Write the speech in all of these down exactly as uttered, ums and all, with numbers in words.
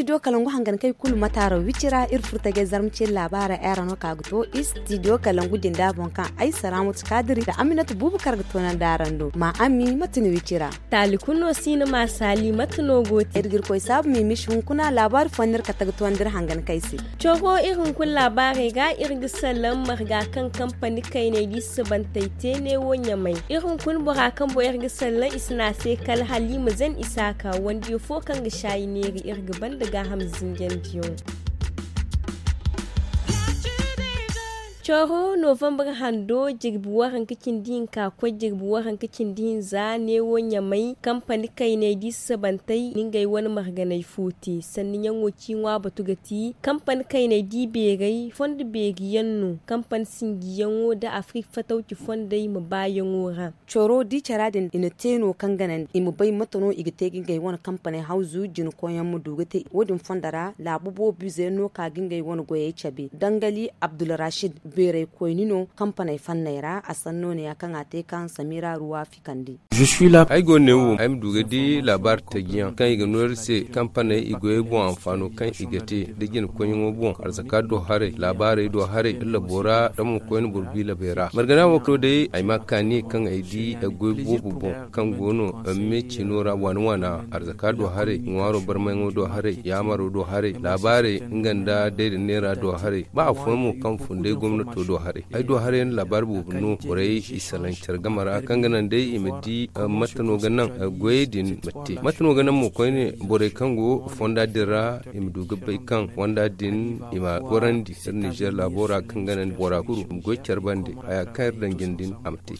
Studio kalangu hangan kay kulu mataaro wicira iri furtajey zarma ciri laabaara era no ka ga to. Studio kalangu jinda boŋ kaŋ ay saraamatu kaadiri nda aminatu buubu kar ga toonandi araŋ do ma ami mate ni wicira. Taali kulu no si ni ma saali mate no go te iri ga iri koy saabu miimishi hunkuna laabaari fo no iri kate ga toonandi iri hangan kay se. Coro iri hunkuna laabaarey ga iri ga sallaŋ marga kaŋ kampani kayney di sabantey te neewo ɲamay. Iri hunkuna bora kaŋ boŋ iri ga sallaŋ i si ne a se kala hala i ma zan isaaka wandiyo fo kaŋ ga saayi neeri iri ga banda gaaham zinjandiyaŋo. Coro novembre hando jirbi waranka cindi hinka koy jirbi waranka cindi hinza neewo ɲamay kampani kayney di sabantey na ngey wane marganey fo te sanniyaŋo ci ŋwa batu ga ti kampani kayney di beerey fondo beeri yaŋ no kampani sinjiyaŋo nda afrik fatawci fondey ma baayaŋo ra. Coro di cara din i na te no kaŋ ganandi i ma bay mate no i ga te ga ngey wane kampaney hawzu jina koyyaŋ ma du ga te wo- din fondo ra laabu boobo ize yaŋ no ka ga ngey wane goyey cabe dangali abdulrashid beeray koyni no kampaney fanney ra a sanno ne- ya kaŋ a te kaŋ samira ruwa fikandi. Ay go ne wo ay ma du ga di laabaari tajiyaŋ kaŋ i ga no iri se kampaney i goyey boŋ anfaano kaŋ i ga te da jina koyyaŋo boŋ arzaka do haray laabaarey do haray da labo ra da mo koyne boro bi labey ra margana wo kalo day ay ma kaani kaŋ ay di ay goy boobo boŋ kaŋ go no me ciino ra waana waana arzaka do haray ŋwaaro barmayŋo do haray yaamaro do haray laabaarey nga nda day da neera do haray ba afooyaŋ mo kaŋ fun day gomnato do haray ay do haray yaŋ da laabaari boobo no borey i salaŋ care game ra kaŋ ga naŋ day i ma di mate no ga naŋ goyey din ma te mate no ga naŋ mo koyne borey kaŋ go fonda din ra i ma du ga bay kaŋ fonda din i ma gorandi iri nizeer laabo ra kaŋ ga naŋ bora kulu i ma goy care bande haya kaŋ iri daŋ jine din a ma te.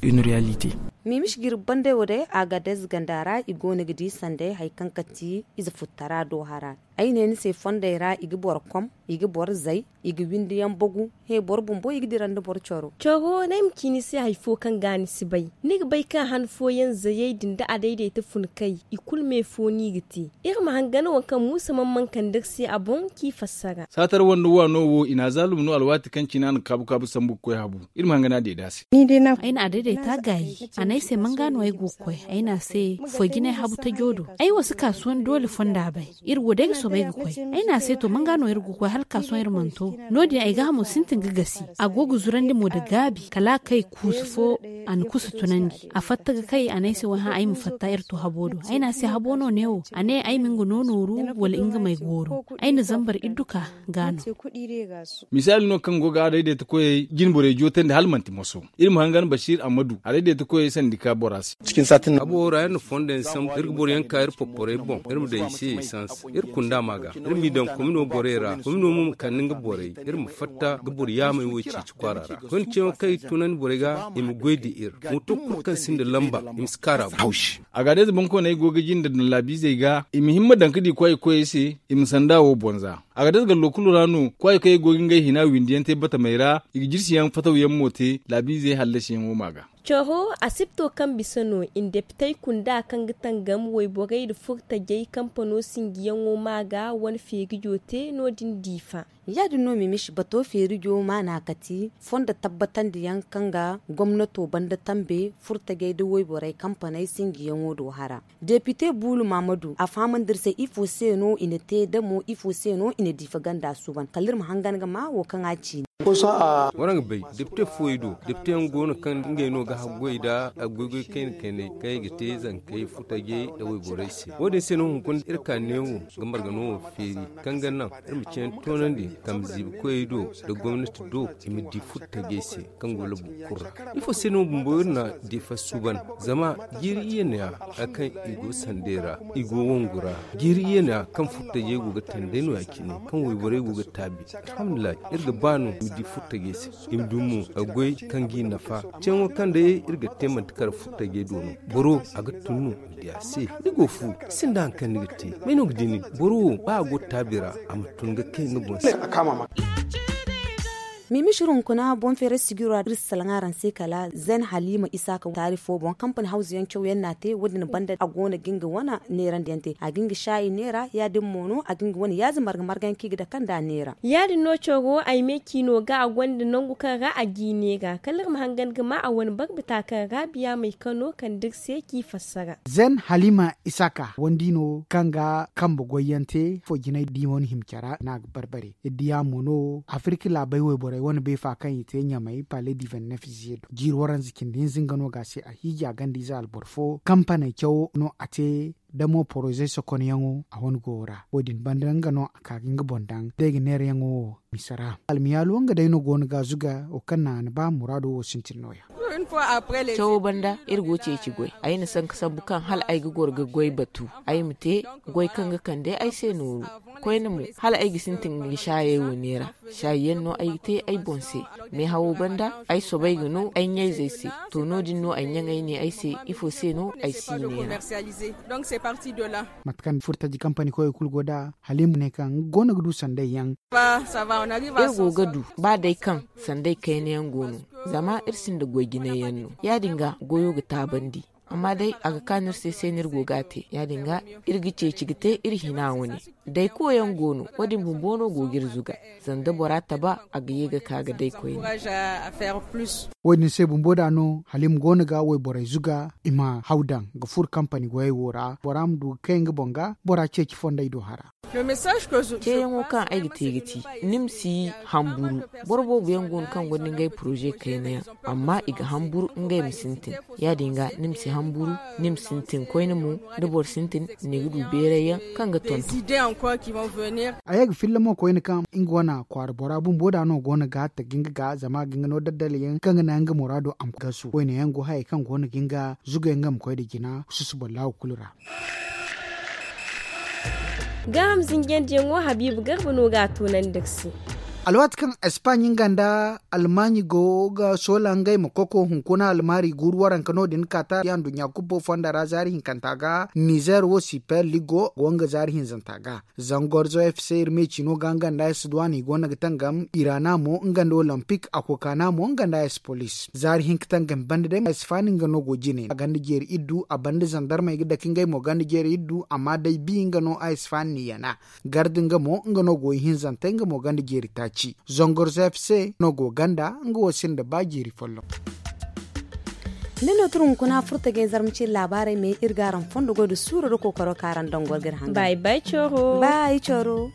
Miimishi jirbi bandey wo day agadez ganda ra i go no ga di sanday hari kaŋ kati ize futtara do hara. Ay ne ni se fondey ra i ga boro kom i ga boro zay i ga windi yaŋ bagu he boro bumbo i ga dira nda boro coro. Coro no ay ma ci ni se hari fo kaŋ ga ni si bay ni ga bay kaŋ han fooyaŋ zayey din nda a dayday ta fun kay i kulu me fo no i ga te. Iri ma hangan waŋ kaŋ muusa mana mana kande iri se a boŋ kaŋ i fassara. Saatar wande waano wo i na a zaalum no alwaati kaŋ cine a na kaabu kaabu sambu ga koy habu. Iri ma hangan a deeda se. Ay na a dayday ta gaayi a ne ay se manga no ay go ga koy ay ne a se foy jinay habu tajo do. Ay wo si kaasuwan doole fonda bay. Iri wo day ga soobay ga koy. Ay ne a se to manga no iri ga koy hala ka sohõ iri mana to. No- din ay gaahamo sintin ga gasi. A go ga zurandi mo nda gaabi kala a kay kuusu fo. A na kusa tunandi a fatta ga kay a ne ay se wayhã ay ma fatta iri to habo do. Ay ne a se habo no neewo a ne ay ma nga no nooru wala nga ma ay gooru. Ay na zambar idduka ga no. Misaali no kaŋ go ga a dayday ta koyey jine borey jootandi hala manti moso. Iri ma hangan basiir ammadu a dayday ta koyey sandi ka bora se. Habo ra iri na fondo yaŋ sambu iri ga boro yaŋ ka iri porporey boŋ iri ma daŋ i se esans. Iri kunda ma ga iri m'i daŋ komino borey ra komino mo ma kande nga borey iri ma fatta ga boro yaamey wo ceeci kwaara ra koyne ceeyaŋo kaŋ i tunandi borey ga i ma goy da iri. Mooto kulu kaŋ sinda lamba i ma si kaara boŋ. Hawshi. Agaadayze boŋkooney go ga jinde daŋ laabiizey ga i ma himma daŋ ga di kwaay koyey se. I ma sanda wo boŋ za. Agaadayze gallo kulu ra no kwaay koyey go ga ngey hina windiyaŋ te batamey ra. I ga jirsiyaŋ fatawyaŋ mo te laabiizey hallasiyaŋo ma ga. Coro asipto kaŋ bisa no i na depitey kunda kaŋ ga tangam wayborey nda furtajey kampano sinjiyaŋo ma ga wane feerijo te no- din diifa. Ya- din no mimisi bato feerijo maana kati fondo tabbatandiyaŋ kaŋ ga gomnato banda tambe furtajey nda wayborey kampaney sinjiyaŋo do hara. Depite buulu maamadu a fahamandi iri se ifo se no i na te da mo ifo se no i na diifa ganda suuban kala iri ma hangan ga ma wo kaŋ a ciine. Waraŋ ga bay depite fooyaŋ do depiteyaŋ go no kaŋ ngey no ga haggoy nda goygoy kayna kayney kaŋ i ga te zankey furtajey nda wayborey se. Wo- din se no hunkuna iri ka neewo ga marga no wo feeri kaŋ ga naŋ iri ma cine toonandi kambe ziibi koyey do nda gomnati do i ma di furtajey se kaŋ go labu kulu ra. Ifo se no bumbo iri na diifa suuban? Zama jiiri iyye no- ya hari kaŋ i go sandey ra i go wangu ra. Jiiri iyye no- ya kaŋ furtajey go ga tandey no- ya cine kaŋ wayborey go ga taabi. Alhamdulillahi iri ga ba no i ma di furtajey se. I ma du mo a goy kaŋ g'i nafa. Ceeyaŋo kaŋ day iri ga te manti kala furtajey do no. Boro a ga tun no i ma di a se. Ni go fu sinda hari kaŋ ni ga te. May no ga di nin boro wo ba a go taabi ra a ma tun ga kay nga boŋ se. Miimisir hunkuna boŋ feeray sijiro ra iri si salaŋ araŋ se kala zen halima isaaka taari fo boŋ kampani hawzu yaŋ caw yaŋ no a te wo- din banda a go no ga nga wane neerandi yaŋ te a ga nga saayi neera ya- din mo no a ga nga wane yaazi marga marga yaŋ kaŋ i ga dake nd'a neera. Ya- din no coro ay me ciino ga a gonda nangu kaŋ ra a ga i neera kala iri ma hangan ga ma a wane barbata kaŋ ra biya may kano kande iri se k'i fassara. Zen halima isaaka wandi no kaŋ ga kambe goy yaŋ te ifo jinay da i mana hima care no a ga barbare iri diya mo no afirka laabey wayborey wane beefa kaŋ i te ɲamey pale di venti nef ziye do jiiri waranza cindi hinza nga no ga a se a hiiji a ganda ize alboro fo kampaney cawo no a te da mo poroze sokonyaŋo a wane goyo ra wo- din banda nga no a ka ga nga boŋ daŋ da ay ga neerayaŋo wo mise ra almiyaalo nga day no go no ga zuga wo kaŋ naŋ a na ba muraado wo sintin no- ya. Cawo banda iri go ceeci goy ay na sanka sambu kaŋ hala ay ga goro ga goy batu ay ma te goy kaŋ ga kande ay se nooru koyne mo hala ay ga sintin ga saayey wo neera saayi yaŋ no ay ga te ay boŋ se meehawo banda ay soobay ga no ay ɲayzey se to no- din no ay ɲaŋey ne ay se ifo se no ay si neera. Mate kaŋ furo taji kampani koyey kulu go nd'a hala i ma ne kaŋ nga go no ga du sanday yaŋ. Iri go ga du ba day kaŋ sanday kayna yaŋ go no zama iri sinda goy jinay yaŋ no ya- din ga goyo ga taabandi amma day a ga kaanu iri se se no iri go ga a te ya- din ga iri ga ceeci ga te iri hina wane. Dayko yaŋ go no wo- din bumbo no go ga iri zuga zama da bora taba a ga ye ga ka ga day koyne. Wo- din se bumbo da no halim go no ga wayborey zuga i ma haw daŋ ga furo kampani goyey wo ra bora ma du ga kay nga boŋ ga bora ceeci fondey do hara. Ceeyaŋo kaŋ ay ga te ga ti ni ma si hamburu. Boro boobo yaŋ go no kaŋ gonda ngey poroze kayna yaŋ amma i ga hamburu ngey ma sintin ya- din ga ni ma si hamburu ni ma sintin koyne mo da boro sintin ni ga du beeray yaŋ kaŋ ga tonton. A ye ga filla mo koyne kaŋ nga wane kwaara bora bumbo da no go no ga taji nga ga zama a ga nga no daddala yaŋ kaŋ ga naŋ nga muraado a ma gasu wayne yaŋ go hayey kaŋ go no ga nga zugay nga ma koy nda jina susuba laawo kulu ra. Gaaham zinjandiyaŋo habiibu garba no ga a toonandi iri se. Alwaati kaŋ espaaɲi nga nda almaaɲi go ga soola ngey ma koko hunkuna almaari guuru waranka no- din kaata ya nduɲɲa kubbo fonda ra zaari hinkanta ga nizeer wo siper ligo go nga zaari hinzanta ga. Zangorzo fc iri meeci no ga nga nda esduwan i go no ga tangam irana mo nga nda olimpik a kookana mo nga nda espolis zaari hinka tangam banda day esfaani nga no go jine a ganda jeeri iddu a banda zandarmey ga dake ngey mo ganda jeeri iddu amma day bi nga no esfaani ni yana garda nga mo nga no go ihinzantey nga mo ganda jeeri taaci zongor zfc no go ganda nga wo sinda ba jeeri folloŋ. Ni no turu hunkuna furta ga ay zarma ciri laabaarey me iri ga araŋ fondo goy da suuro da kookaro kaŋ araŋ dangor ga iri hangan. Bay bay coro. Bay coro.